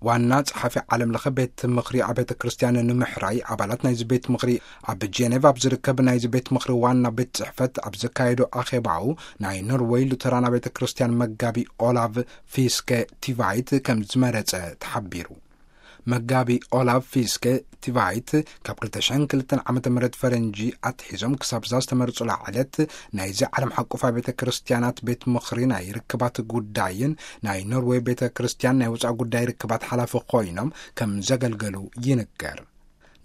ዋና ጸሓፊ ዓለም ለኸ ቤት ምኽሪ ኣቤተ ክርስቲያን ንምሕራይ፣ ኣባላት ናይዚ ቤት ምኽሪ ኣብ ጄኔቭ ኣብ ዝርከብ ናይዚ ቤት ምኽሪ ዋና ቤት ጽሕፈት ኣብ ዘካየዶ ኣኼባኡ፣ ናይ ኖርወይ ሉተራን ኣቤተ ክርስቲያን መጋቢ ኦላቭ ፊስከ ቲቫይት ከም ዝመረጸ ተሓቢሩ። መጋቢ ኦላቭ ፊስከ ቲቫይት ካብ ክልተ ሽሕን ክልተን ዓመተ ምህረት ፈረንጂ ኣትሒዞም ክሳብ እዛ ዝተመርጹላ ዕለት፣ ናይዚ ዓለም ሓቆፍ ኣቤተ ክርስቲያናት ቤት ምኽሪ ናይ ርክባት ጉዳይን ናይ ኖርወይ ቤተ ክርስቲያን ናይ ወጻኢ ጉዳይ ርክባት ሓላፊ ኮይኖም ከም ዘገልገሉ ይንገር።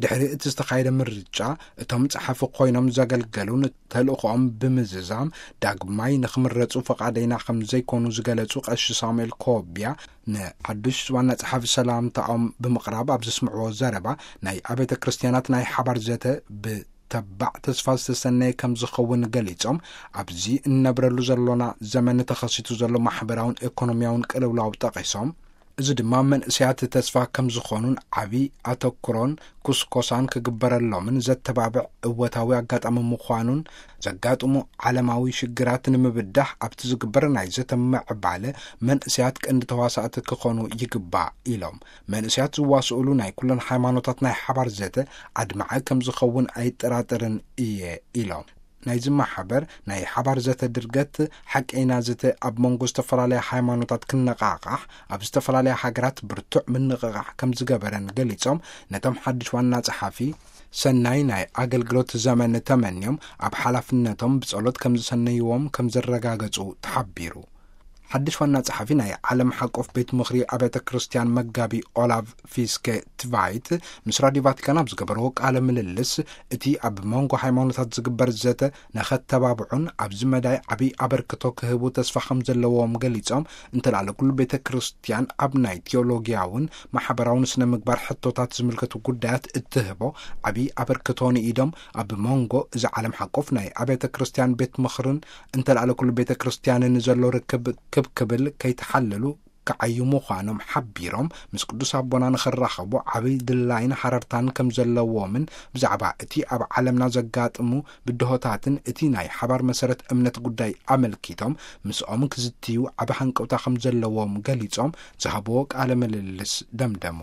ድሕሪ እቲ ዝተኻየደ ምርጫ፣ እቶም ጸሓፊ ኮይኖም ዘገልገሉን ተልእኾኦም ብምዝዛም ዳግማይ ንኽምረጹ ፈቓደይና ከም ዘይኮኑ ዝገለጹ ቀሺ ሳሙኤል ኮቢያ፣ ንሓዱሽ ዋና ጸሓፊ ሰላምታኦም ብምቕራብ ኣብ ዘስምዕዎ ዘረባ፣ ናይ ኣቤተ ክርስቲያናት ናይ ሓባር ዘተ ብተባዕ ተስፋ ዝተሰነየ ከም ዝኸውን ገሊጾም፣ ኣብዚ እንነብረሉ ዘሎና ዘመን ተኸሲቱ ዘሎ ማሕበራውን ኤኮኖሚያውን ቅልውላው ጠቒሶም፣ እዚ ድማ መንእሰያት ተስፋ ከም ዝኾኑን ዓቢ ኣተኩሮን ኩስኮሳን ክግበረሎምን ዘተባብዕ እወታዊ ኣጋጣሚ ምዃኑን፣ ዘጋጥሙ ዓለማዊ ሽግራት ንምብዳህ ኣብቲ ዝግበር ናይ ዘተ ምዕባለ መንእሰያት ቀንዲ ተዋሳእቲ ክኾኑ ይግባእ ኢሎም። መንእሰያት ዝዋስኡሉ ናይ ኩለን ሃይማኖታት ናይ ሓባር ዘተ ኣድማዒ ከም ዝኸውን ኣይጠራጠርን እየ ኢሎም። ናይዚ ማሕበር ናይ ሓባር ዘተ ድርገት ሓቀይና ዘተ ኣብ መንጎ ዝተፈላለያ ሃይማኖታት ክነቓቓሕ፣ ኣብ ዝተፈላለያ ሃገራት ብርቱዕ ምንቕቓሕ ከም ዝገበረን ገሊጾም፣ ነቶም ሓድሽ ዋና ጸሓፊ ሰናይ ናይ ኣገልግሎት ዘመን ተመንዮም፣ ኣብ ሓላፍነቶም ብጸሎት ከም ዝሰነይዎም ከም ዘረጋገጹ ተሓቢሩ። ሓድሽ ዋና ጸሓፊ ናይ ዓለም ሓቆፍ ቤት ምኽሪ ኣብያተ ክርስቲያን መጋቢ ኦላቭ ፊስከ ትቫይት ምስ ራዲዮ ቫቲካን ኣብ ዝገበርዎ ቃለ ምልልስ፣ እቲ ኣብ መንጎ ሃይማኖታት ዝግበር ዘተ ንኸተባብዑን ኣብዚ መዳይ ዓብዪ ኣበርክቶ ክህቡ ተስፋ ከም ዘለዎም ገሊጾም፣ እንተልኣለ ኩሉ ቤተ ክርስቲያን ኣብ ናይ ቴዎሎጊያውን ማሕበራውን ስነ ምግባር ሕቶታት ዝምልከቱ ጉዳያት እትህቦ ዓብዪ ኣበርክቶ ንኢዶም፣ ኣብ መንጎ እዚ ዓለም ሓቆፍ ናይ ኣብያተ ክርስቲያን ቤት ምኽርን እንተልኣለ ኩሉ ቤተ ክርስቲያንን ዘሎ ርክብ ክብ ክብል ከይተሓለሉ ክዓዩ ምዃኖም ሓቢሮም፣ ምስ ቅዱስ ኣቦና ንኽራኸቡ ዓብዪ ድላይን ሓረርታን ከም ዘለዎምን፣ ብዛዕባ እቲ ኣብ ዓለምና ዘጋጥሙ ብድሆታትን እቲ ናይ ሓባር መሰረት እምነት ጉዳይ ኣመልኪቶም ምስኦም ክዝትዩ ዓቢ ሃንቀውታ ከም ዘለዎም ገሊጾም፣ ዝሃብዎ ቃለ ምልልስ ደምደሙ።